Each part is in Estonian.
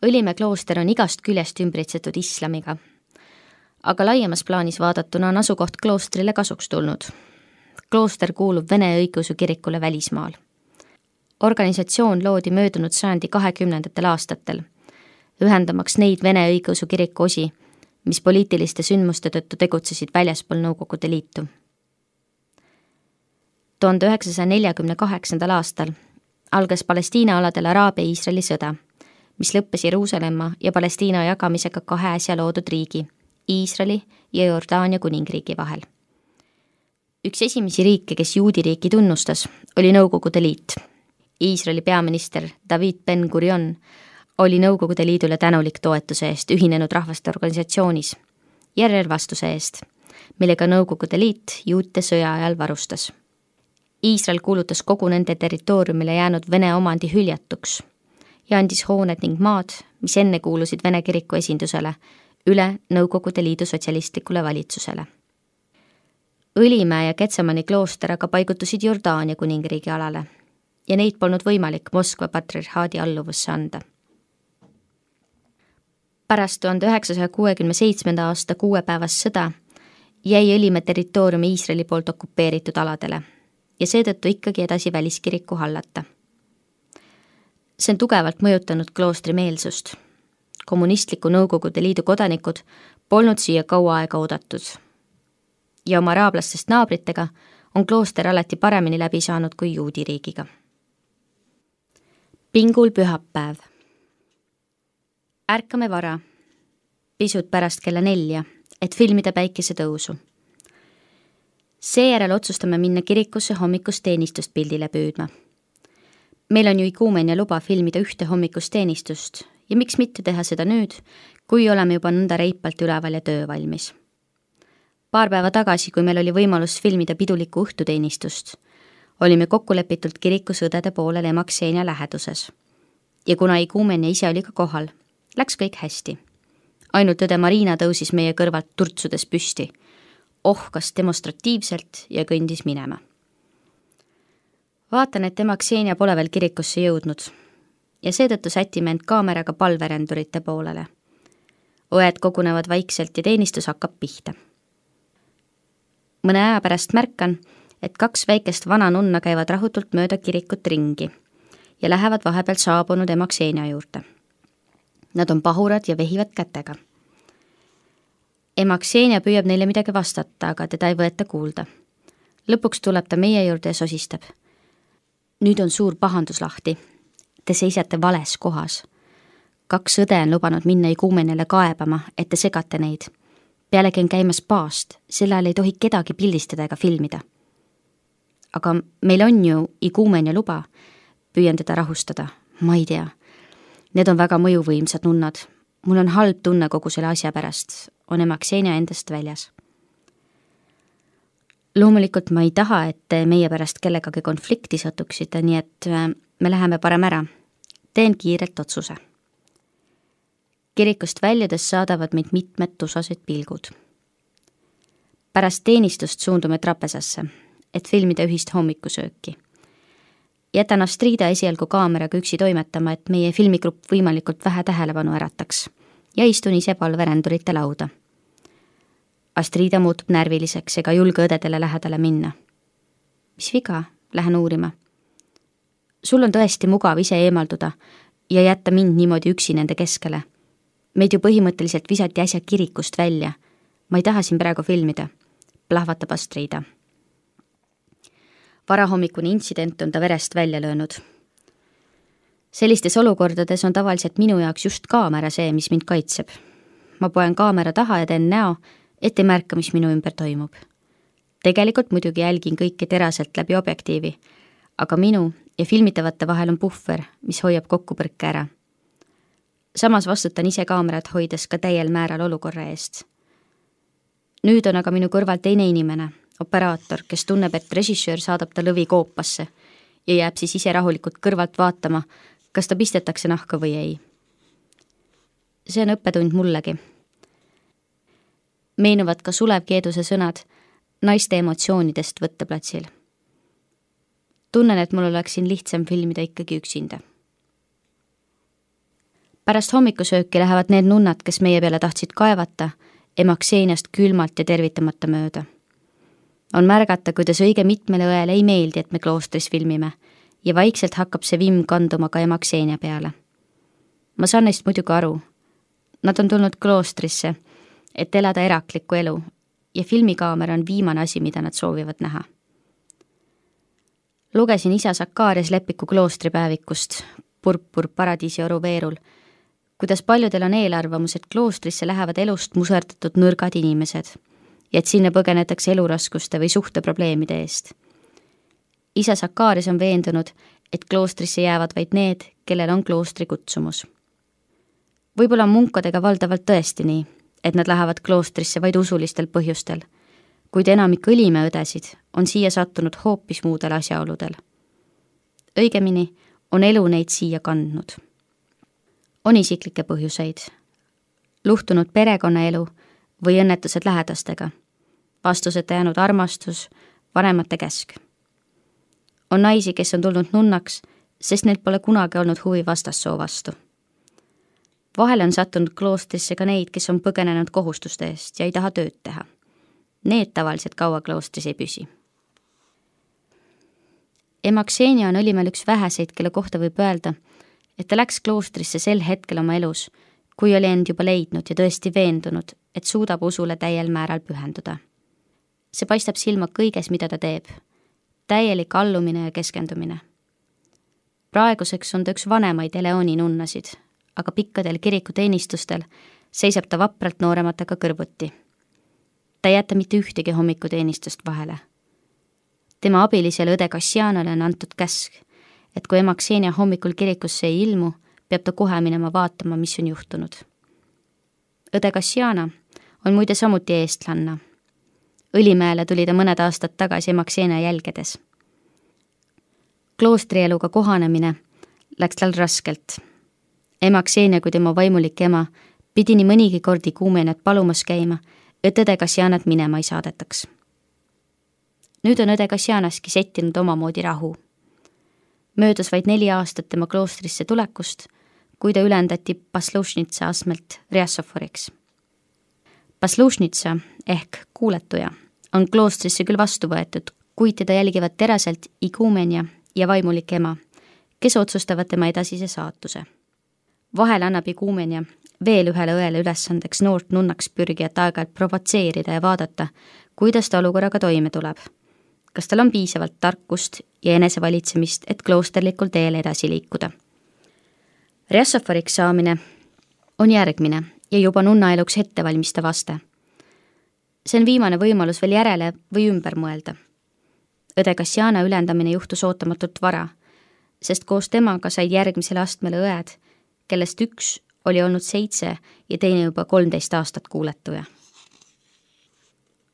Õlimäe klooster on igast küljest ümbritsetud islamiga, aga laiemas plaanis vaadatuna on asukoht kloostrile kasuks tulnud. Klooster kuulub Vene õigeusu kirikule välismaal. Organisatsioon loodi möödunud sajandi 20. aastatel, ühendamaks neid Vene õigeusu kiriku osi, mis poliitiliste sündmuste tõttu tegutsesid väljaspool Nõukogude Liitu. 1948. aastal algas Palestiina aladel Araabia-Iisraeli sõda, mis lõppes Jeruusalemma ja Palestiina jagamisega kahe äsja loodud riigi, Iisraeli ja Jordaania kuningriigi vahel. Üks esimesi riike, kes juudiriiki tunnustas, oli Nõukogude Liit. Iisraeli peaminister David Ben-Gurion oli Nõukogude Liidule tänulik toetuse eest Ühinenud Rahvaste Organisatsioonis ja relvastuse eest, millega Nõukogude Liit juute sõja ajal varustas. Iisrael kuulutas kogu nende territooriumile jäänud Vene omandi hüljatuks ja andis hooned ning maad, mis enne kuulusid Vene kiriku esindusele, üle Nõukogude Liidu sotsialistlikule valitsusele. Õlimäe ja Getsemani klooster aga paigutusid Jordaania kuningriigi alale ja neid polnud võimalik Moskva patriarhaadi alluvusse anda. Pärast 1967. aasta 6-päevast sõda jäi Õlimäe territooriumi Iisraeli poolt okupeeritud aladele ja seetõttu ikkagi edasi väliskiriku hallata. See on tugevalt mõjutanud kloostri meelsust. Kommunistliku Nõukogude Liidu kodanikud polnud siia kaua aega oodatud. Ja oma araablastest naabritega on klooster alati paremini läbi saanud kui juudiriigiga. Pingul pühapäev. Ärkame vara, pisut pärast kella 4, et filmida päikesetõusu. Seejärel otsustame minna kirikusse hommikust teenistust pildile püüdma. Meil on ju iguumenia luba filmida ühte hommikust teenistust ja miks mitte teha seda nüüd, kui oleme juba nõnda reipalt üleval ja töö valmis. Paar päeva tagasi, kui meil oli võimalus filmida pidulikku õhtuteenistust, olime kokkulepitult kirikus õdede poolel ema Ksenia läheduses. Ja kuna iguumenia ise oli ka kohal, läks kõik hästi. Ainult õde Marina tõusis meie kõrvalt turtsudes püsti, ohkas demonstratiivselt ja kõndis minema. Vaatan, et ema Ksenia pole veel kirikusse jõudnud ja seetõttu sätime end kaameraga palverendurite poolele. Õed kogunevad vaikselt ja teenistus hakkab pihta. Mõne aja pärast märkan, et 2 väikest vana nunna käivad rahutult mööda kirikut ringi ja lähevad vahepeal saabunud ema Ksenia juurde. Nad on pahurad ja vehivad kätega. Ema Ksenia püüab neile midagi vastata, aga teda ei võeta kuulda. Lõpuks tuleb ta meie juurde ja sosistab. Nüüd on suur pahandus lahti. Te seisate vales kohas. 2 õde on lubanud minna iguumeniale kaebama, et te segate neid. Pealegi on käimas paast, sel ajal ei tohi kedagi pildistada ega filmida. Aga meil on ju iguumenia luba. Püüan teda rahustada. Ma ei tea. Need on väga mõjuvõimsad nunnad. Mul on halb tunne kogu selle asja pärast. On ema Ksenia endast väljas. Loomulikult ma ei taha, et te meie pärast kellegagi konflikti satuksite, nii et me läheme parem ära. Teen kiirelt otsuse. Kirikust väljudes saadavad meid mitmed tusased pilgud. Pärast teenistust suundume trapesasse, et filmida ühist hommikusööki. Jätan Astrida esialgu kaameraga üksi toimetama, et meie filmigrupp võimalikult vähe tähelepanu ärataks ja istun ise palverendurite lauda. Astrida muutub närviliseks ega julge õdedele lähedale minna. Mis viga? Lähen uurima. Sul on tõesti mugav ise eemalduda ja jätta mind niimoodi üksi nende keskele. Meid ju põhimõtteliselt visati äsja kirikust välja. Ma ei taha siin praegu filmida. Plahvatab Astrida. Varahommikune intsident on ta verest välja löönud. Sellistes olukordades on tavaliselt minu jaoks just kaamera see, mis mind kaitseb. Ma poen kaamera taha ja teen näo, et ei märka, mis minu ümber toimub. Tegelikult muidugi jälgin kõike teraselt läbi objektiivi, aga minu ja filmitavate vahel on puhver, mis hoiab kokkupõrke ära. Samas vastutan ise kaamerat hoides ka täiel määral olukorra eest. Nüüd on aga minu kõrval teine inimene, operaator, kes tunneb, et režissöör saadab ta lõvi koopasse ja jääb siis ise rahulikult kõrvalt vaatama, kas ta pistetakse nahka või ei. See on õppetund mullegi. Meenuvad ka Sulev Keeduse sõnad naiste emotsioonidest võtteplatsil. Tunnen, et mul oleks siin lihtsam filmida ikkagi üksinda. Pärast hommikusööki lähevad need nunnad, kes meie peale tahtsid kaevata, Emakseeniast külmalt ja tervitamata mööda. On märgata, kuidas õige mitmele õele ei meeldi, et me kloostris filmime ja vaikselt hakkab see vimm kanduma ka Emakseenia peale. Ma saan neist muidugi aru. Nad on tulnud kloostrisse, et elada eraklikku elu ja filmikaamera on viimane asi, mida nad soovivad näha. Lugesin isa Sakarias Lepiku kloostripäevikust, Purpur paradiisi oru veerul, kuidas paljudel on eelarvamus, et kloostrisse lähevad elust muserdatud nõrgad inimesed ja et sinna põgenetakse eluraskuste või suhteprobleemide eest. Isa Sakarias on veendunud, et kloostrisse jäävad vaid need, kellel on kloostri kutsumus. Võib-olla on munkadega valdavalt tõesti nii, et nad lähevad kloostrisse vaid usulistel põhjustel, kuid enamik õlimeõdesid on siia sattunud hoopis muudel asjaoludel. Õigemini on elu neid siia kandnud. On isiklikke põhjuseid, luhtunud perekonnaelu või õnnetused lähedastega, vastuseta jäänud armastus, vanemate käsk. On naisi, kes on tulnud nunnaks, sest neil pole kunagi olnud huvi vastassoo vastu. Vahele on sattunud kloostrisse ka neid, kes on põgenenud kohustuste eest ja ei taha tööd teha. Need tavaliselt kaua kloostris ei püsi. Emakseenia on Õlimäel üks väheseid, kelle kohta võib öelda, et ta läks kloostrisse sel hetkel oma elus, kui oli end juba leidnud ja tõesti veendunud, et suudab usule täiel määral pühenduda. See paistab silma kõiges, mida ta teeb. Täielik allumine ja keskendumine. Praeguseks on ta üks vanemaid Eleoni nunnasid, aga pikkadel kirikuteenistustel seisab ta vapralt noorematega kõrvuti. Ta ei jäta mitte ühtegi hommikuteenistust vahele. Tema abilisele õde Kassianale on antud käsk, et kui Emakseenia hommikul kirikusse ei ilmu, peab ta kohe minema vaatama, mis on juhtunud. Õde Kassiana on muide samuti eestlanna. Õlimäele tuli ta mõned aastad tagasi Emakseenia jälgedes. Kloostrieluga kohanemine läks tal raskelt. Emakseenia kui tema vaimulik ema pidi nii mõnigi kordi Ikuumeniat palumas käima, et õde Kassianat minema ei saadetaks. Nüüd on õde Kassianaski settinud omamoodi rahu. Möödus vaid 4 aastat tema kloostrisse tulekust, kui ta ülendati Paslušnitsa asmelt Rjassoforiks. Paslušnitsa ehk kuuletuja on kloostrisse küll vastu võetud, kuid teda jälgivad teraselt Ikuumenia ja vaimulik ema, kes otsustavad tema edasise saatuse. Vahel annab Ikuumenia veel ühele õele ülesandeks noort nunnaks pürgijat aeg-ajalt provotseerida ja vaadata, kuidas ta olukorraga toime tuleb. Kas tal on piisavalt tarkust ja enesevalitsemist, et kloosterlikul teel edasi liikuda. Rjassoforiks saamine on järgmine ja juba nunnaeluks ettevalmistav aste. See on viimane võimalus veel järele või ümber mõelda. Õde Kassiana ülendamine juhtus ootamatult vara, sest koos temaga said järgmisele astmele õed, kellest üks oli olnud 7 ja teine juba 13 aastat kuuletuja.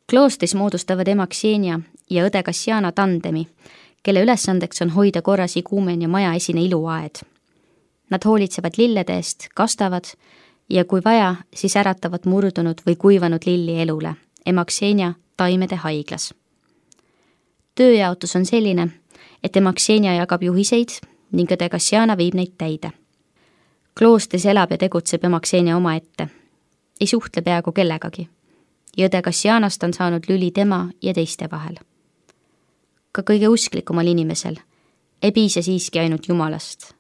Kloostris moodustavad Emakseenia ja õde Kassiana tandemi, kelle ülesandeks on hoida korras Ikuumenia maja esine iluaed. Nad hoolitsevad lillede eest, kastavad ja kui vaja, siis äratavad murdunud või kuivanud lilli elule, Emakseenia taimede haiglas. Tööjaotus on selline, et Emakseenia jagab juhiseid ning õde Kassiana viib neid täide. Kloostris elab ja tegutseb Emakseenia omaette, ei suhtle peaaegu kellegagi. Ja õde Kassianast on saanud lüli tema ja teiste vahel. Ka kõige usklikumal inimesel ei piisa siiski ainult Jumalast.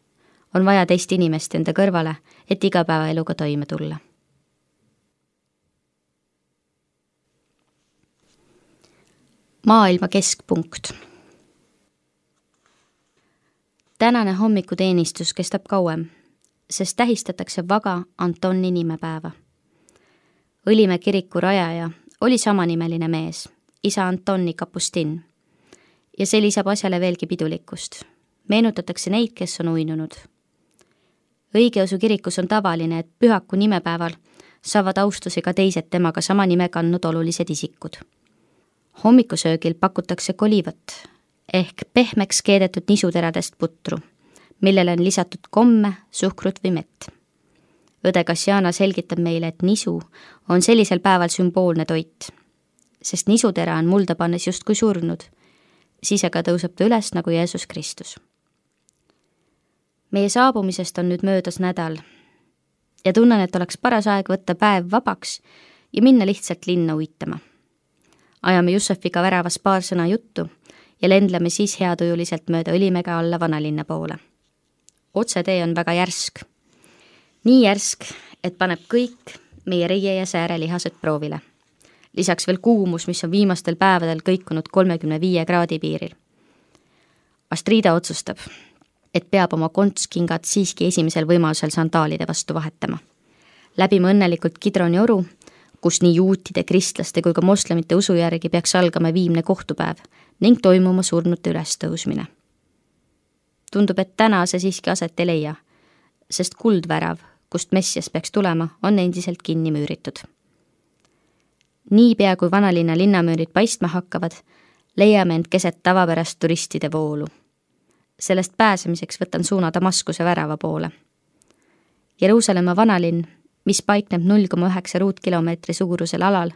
On vaja teist inimest enda kõrvale, et igapäevaeluga toime tulla. Maailma keskpunkt. Tänane hommikuteenistus kestab kauem, sest tähistatakse Vaga Antoni nimepäeva. Õlimäe kiriku rajaja oli samanimeline mees, isa Antoni Kapustin. Ja see lisab asjale veelgi pidulikkust. Meenutatakse neid, kes on uinunud. Õigeusu kirikus on tavaline, et pühaku nimepäeval saavad austusi ka teised temaga sama nime kandnud olulised isikud. Hommikusöögil pakutakse kolivat ehk pehmeks keedetud nisuteradest putru, millele on lisatud komme, suhkrut või mett. Õde Kassiana selgitab meile, et nisu on sellisel päeval sümboolne toit, sest nisutera on mulda pannes justkui surnud, siis aga tõuseb ta üles nagu Jeesus Kristus. Meie saabumisest on nüüd möödas nädal ja tunnen, et oleks paras aeg võtta päev vabaks ja minna lihtsalt linna uitama. Ajame Jussefiga väravas paar sõna juttu ja lendleme siis heatujuliselt mööda Õlimäge alla vanalinna poole. Otsetee on väga järsk. Nii järsk, et paneb kõik meie reie ja sääre lihased proovile. Lisaks veel kuumus, mis on viimastel päevadel kõikunud 35 kraadi piiril. Astrida otsustab, et peab oma kontskingad siiski esimesel võimalusel sandaalide vastu vahetama. Läbime õnnelikult Kidroni oru, kus nii juutide, kristlaste kui ka moslemite usu järgi peaks algama viimne kohtupäev ning toimuma surnute ülestõusmine. Tundub, et täna see siiski aset ei leia, sest kuldvärav, kust Messias peaks tulema, on endiselt kinni müüritud. Niipea kui vanalinna linnamüürid paistma hakkavad, leiame end keset tavapärast turistide voolu. Sellest pääsemiseks võtan suuna Damaskuse värava poole. Jeruusalemma vanalinn, mis paikneb 0,9 ruutkilomeetri suurusel alal,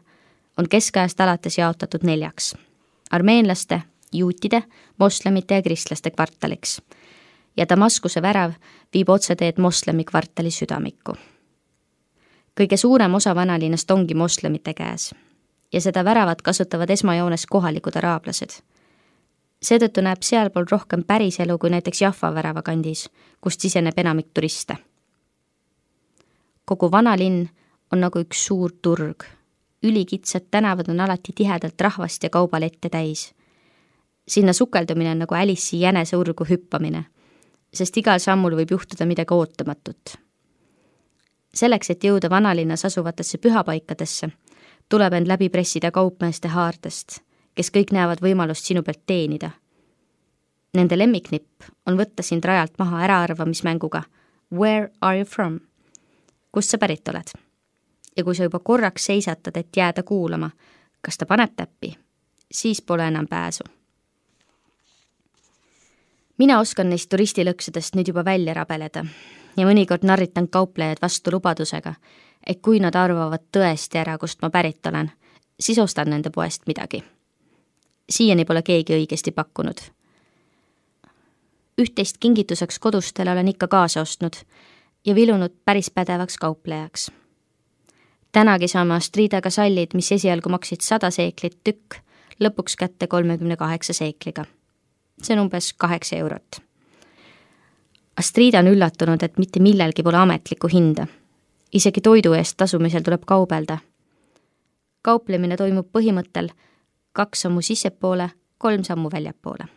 on keskajast alates jaotatud 4: armeenlaste, juutide, moslemite ja kristlaste kvartaliks. Ja Damaskuse värav viib otseteed moslemi kvartali südamikku. Kõige suurem osa vanalinnast ongi moslemite käes ja seda väravat kasutavad esmajoones kohalikud araablased. Seetõttu näeb sealpool rohkem päris elu kui näiteks Jaffa värava kandis, kust siseneb enamik turiste. Kogu vanalinn on nagu üks suur turg. Ülikitsad tänavad on alati tihedalt rahvast ja kaubalette täis. Sinna sukeldumine on nagu Alice'i jänese urgu hüppamine, sest igal sammul võib juhtuda midagi ootamatut. Selleks, et jõuda vanalinnas asuvatesse pühapaikadesse, tuleb end läbi pressida kaupmeeste haardest, kes kõik näevad võimalust sinu pealt teenida. Nende lemmiknipp on võtta sind rajalt maha äraarvamismänguga Where are you from? Kust sa pärit oled? Ja kui sa juba korraks seisatad, et jääda kuulama, kas ta paneb täppi, siis pole enam pääsu. Mina oskan neist turistilõksudest nüüd juba välja rabeleda ja mõnikord narritan kauplejad vastu lubadusega, et kui nad arvavad tõesti ära, kust ma pärit olen, siis ostan nende poest midagi. Siiani pole keegi õigesti pakkunud. Üht-teist kingituseks kodustele olen ikka kaasa ostnud ja vilunud päris pädevaks kauplejaks. Tänagi saame Astridaga sallid, mis esialgu maksid 100 seeklit tükk, lõpuks kätte 38 seekliga. See on umbes 8 eurot. Astrida on üllatunud, et mitte millelgi pole ametlikku hinda. Isegi toidu eest tasumisel tuleb kaubelda. Kauplemine toimub põhimõttel 2 sammu sissepoole, 3 sammu väljapoole.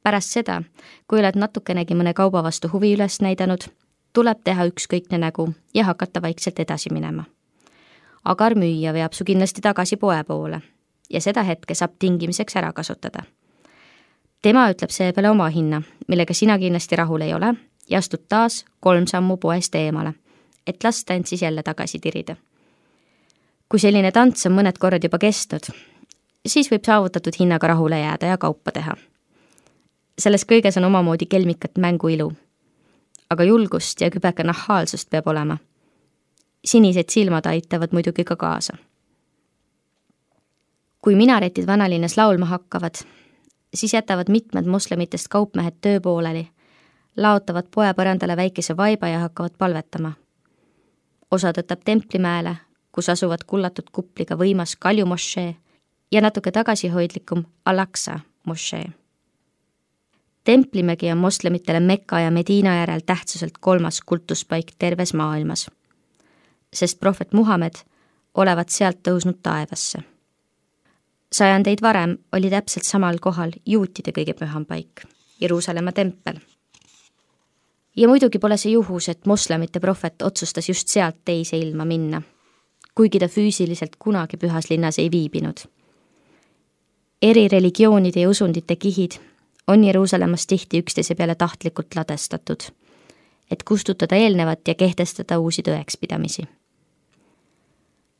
Pärast seda, kui oled natukenegi mõne kauba vastu huvi üles näidanud, tuleb teha ükskõikne nägu ja hakata vaikselt edasi minema. Agar müüja veab su kindlasti tagasi poe poole ja seda hetke saab tingimiseks ära kasutada. Tema ütleb seepeale oma hinna, millega sina kindlasti rahul ei ole ja astud taas 3 sammu poest eemale, et lasta end siis jälle tagasi tirida. Kui selline tants on mõned korrad juba kestnud, siis võib saavutatud hinnaga rahule jääda ja kaupa teha. Selles kõiges on omamoodi kelmikat mängu ilu, aga julgust ja kübeka nahaalsust peab olema. Sinised silmad aitavad muidugi ka kaasa. Kui minaretid vanalinnas laulma hakkavad, siis jätavad mitmed moslemitest kaupmehed töö pooleli, laotavad poepõrandale väikese vaiba ja hakkavad palvetama. Osa tõtab Templimäele, kus asuvad kullatud kupliga võimas Kalju mošee ja natuke tagasihoidlikum Al-Aqsa mošee. Templimägi on moslemitele Mekka ja Mediina järel tähtsuselt 3. kultuspaik terves maailmas, sest prohvet Muhamed olevat sealt tõusnud taevasse. 100 varem oli täpselt samal kohal juutide kõige püham paik, Jeruusalemma tempel. Ja muidugi pole see juhus, et moslemite prohvet otsustas just sealt teise ilma minna, kuigi ta füüsiliselt kunagi pühas linnas ei viibinud. Eri religioonide ja usundite kihid on Jeruusalemmas tihti üksteise peale tahtlikult ladestatud, et kustutada eelnevat ja kehtestada uusi tõekspidamisi.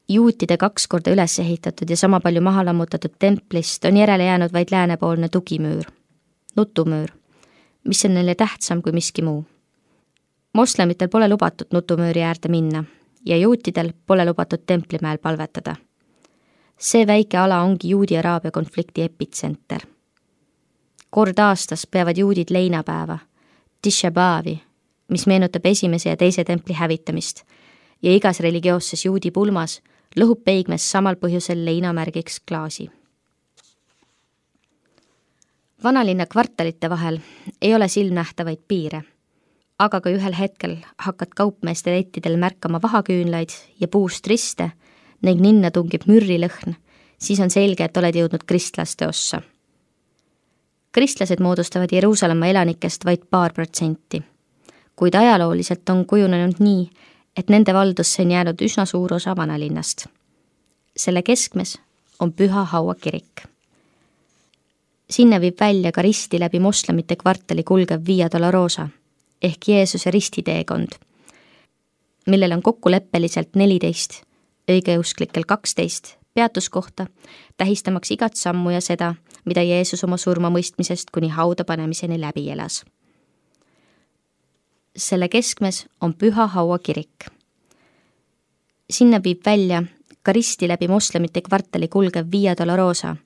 Juutide 2 korda üles ehitatud ja sama palju maha lammutatud templist on järele jäänud vaid läänepoolne tugimüür, nutumüür, mis on neile tähtsam kui miski muu. Moslemitel pole lubatud nutumüüri äärde minna ja juutidel pole lubatud Templimäel palvetada. See väike ala ongi Juudi-Araabia konflikti epitsenter. Kord aastas peavad juudid leinapäeva, Tisha B'avi, mis meenutab esimese ja teise templi hävitamist ja igas religioosses juudi pulmas lõhub peigmes samal põhjusel leinamärgiks klaasi. Vanalinna kvartalite vahel ei ole silmnähtavaid piire, aga kui ühel hetkel hakkad kaupmeeste lettidel märkama vahaküünlaid ja puust riste ning ninna tungib mürrilõhn, siis on selge, et oled jõudnud kristlaste ossa. Kristlased moodustavad Jeruusalemma elanikest vaid 2%, kuid ajalooliselt on kujunenud nii, et nende valdusse on jäänud üsna suur osa vanalinnast. Selle keskmes on Püha Haua kirik. Sinna viib välja ka risti läbi moslemite kvartali kulgev Via Dolorosa ehk Jeesuse ristiteekond, millel on kokkuleppeliselt 14, õigeusklikel 12 peatuskohta, tähistamaks igat sammu ja seda, mida Jeesus oma surmamõistmisest kuni hauda panemiseni läbi elas. Selle keskmes on Püha Haua kirik. Sinna viib välja ka risti läbi moslemite kvartali kulgev Via Dolorosa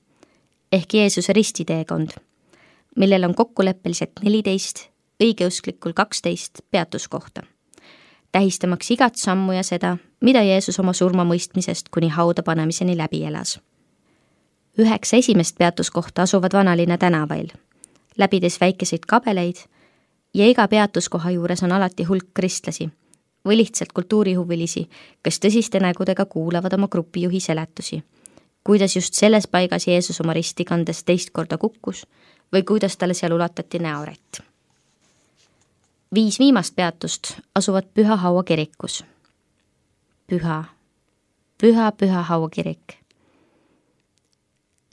ehk Jeesuse ristiteekond, millel on kokkuleppeliselt 14, õigeusklikul 12 peatuskohta, tähistamaks igat sammu ja seda, mida Jeesus oma surmamõistmisest kuni hauda panemiseni läbi elas. 9 esimest peatuskohta asuvad Vanalinna tänavail, läbides väikeseid kabeleid ja iga peatuskoha juures on alati hulk kristlasi või lihtsalt kultuurihuvilisi, kes tõsiste nägudega kuulavad oma grupijuhi seletusi, kuidas just selles paigas Jeesus oma risti kandes teist korda kukkus või kuidas talle seal ulatati näorätt. 5 viimast peatust asuvad Püha Haua kirikus. Püha Haua kirik.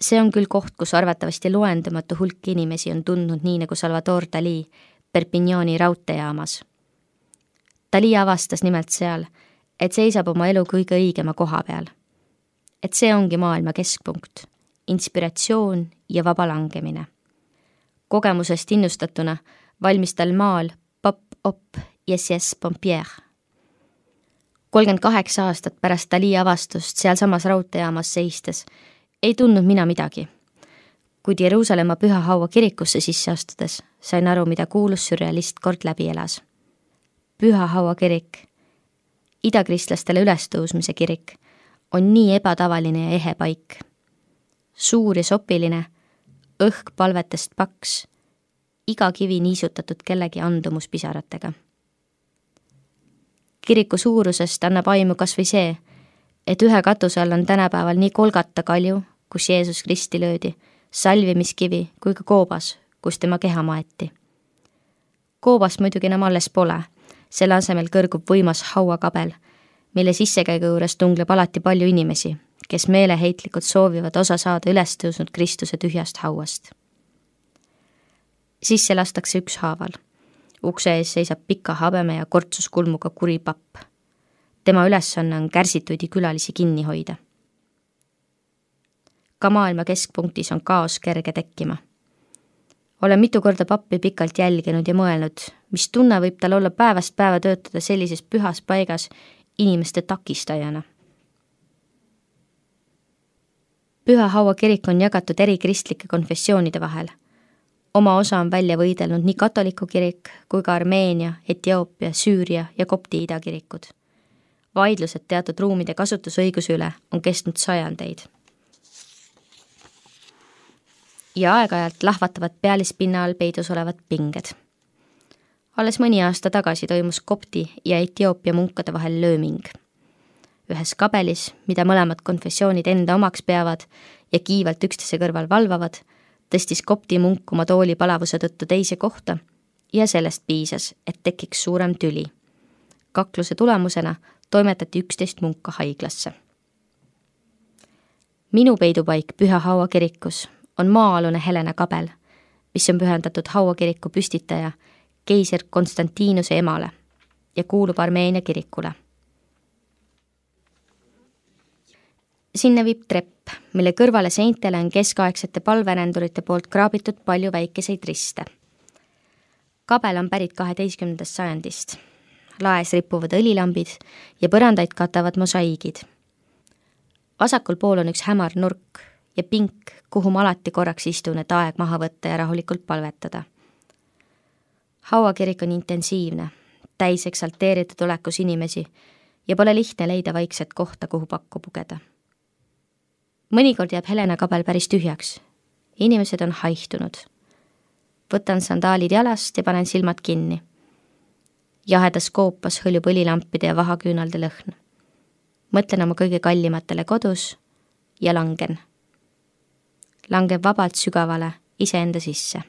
See on küll koht, kus arvatavasti loendamatu hulk inimesi on tundnud nii nagu Salvador Dalí Perpignani raudteejaamas. Dalí avastas nimelt seal, et seisab oma elu kõige õigema koha peal. Et see ongi maailma keskpunkt, inspiratsioon ja vaba langemine. Kogemusest innustatuna valmis tal maal Pop-Op Yes Pompier. 38 aastat pärast Dalí avastust sealsamas raudteejaamas seistes ei tundnud mina midagi. Kuid Jeruusalemma Püha Haua kirikusse sisse astudes sain aru, mida kuulus sürrealist kord läbi elas. Püha Haua kirik, idakristlastel ülestõusmise kirik, on nii ebatavaline ja ehe paik. Suur ja sopiline, õhk palvetest paks, iga kivi niisutatud kellegi andumuspisaratega. Kiriku suurusest annab aimu kas või see, et ühe katuse all on tänapäeval nii Kolgata kalju, kus Jeesus Kristi löödi, salvimiskivi kui ka koobas, kus tema keha maeti. Koobast muidugi enam alles pole, selle asemel kõrgub võimas hauakabel, mille sissekäigu juures tungleb alati palju inimesi, kes meeleheitlikult soovivad osa saada ülestõusnud Kristuse tühjast hauast. Sisse lastakse ükshaaval. Ukse ees seisab pika habeme ja kortsuskulmuga kuri papp. Tema ülesanne on kärsituidi külalisi kinni hoida. Ka maailma keskpunktis on kaos kerge tekkima. Olen mitu korda pappi pikalt jälginud ja mõelnud, mis tunne võib tal olla päevast päeva töötada sellises pühas paigas inimeste takistajana. Püha Haua kirik on jagatud eri kristlike konfessioonide vahel. Oma osa on välja võidelnud nii katoliku kirik kui ka Armeenia, Etioopia, Süüria ja Kopti idakirikud. Vaidlused teatud ruumide kasutusõiguse üle on kestnud sajandeid. Ja aeg-ajalt lahvatavad pealispinna all peidus olevad pinged. Alles mõni aasta tagasi toimus Kopti ja Etioopia munkade vahel lööming. Ühes kabelis, mida mõlemad konfessioonid enda omaks peavad ja kiivalt üksteise kõrval valvavad, tõstis Kopti munk oma tooli palavuse tõttu teise kohta ja sellest piisas, et tekiks suurem tüli. Kakluse tulemusena toimetati 11 munka haiglasse. Minu peidupaik Püha Haua kirikus on maa-alune Helena kabel, mis on pühendatud Haua kiriku püstitaja keiser Konstantinuse emale ja kuulub Armeenia kirikule. Sinna viib trepp, mille kõrvale seintele on keskaegsete palverendurite poolt kraabitud palju väikeseid riste. Kabel on pärit 12. sajandist. Laes ripuvad õlilambid ja põrandaid katavad mosaiigid. Vasakul pool on üks hämar nurk ja pink, kuhu ma alati korraks istun, et aeg maha võtta ja rahulikult palvetada. Haua kirik on intensiivne, täis eksalteeritud olekus inimesi ja pole lihtne leida vaikset kohta, kuhu pakku pugeda. Mõnikord jääb Helena kabel päris tühjaks. Inimesed on haihtunud. Võtan sandaalid jalast ja panen silmad kinni. Jahedas koopas hõljub õlilampide ja vahaküünalde lõhn. Mõtlen oma kõige kallimatele kodus ja langen. Langen vabalt sügavale iseenda sisse.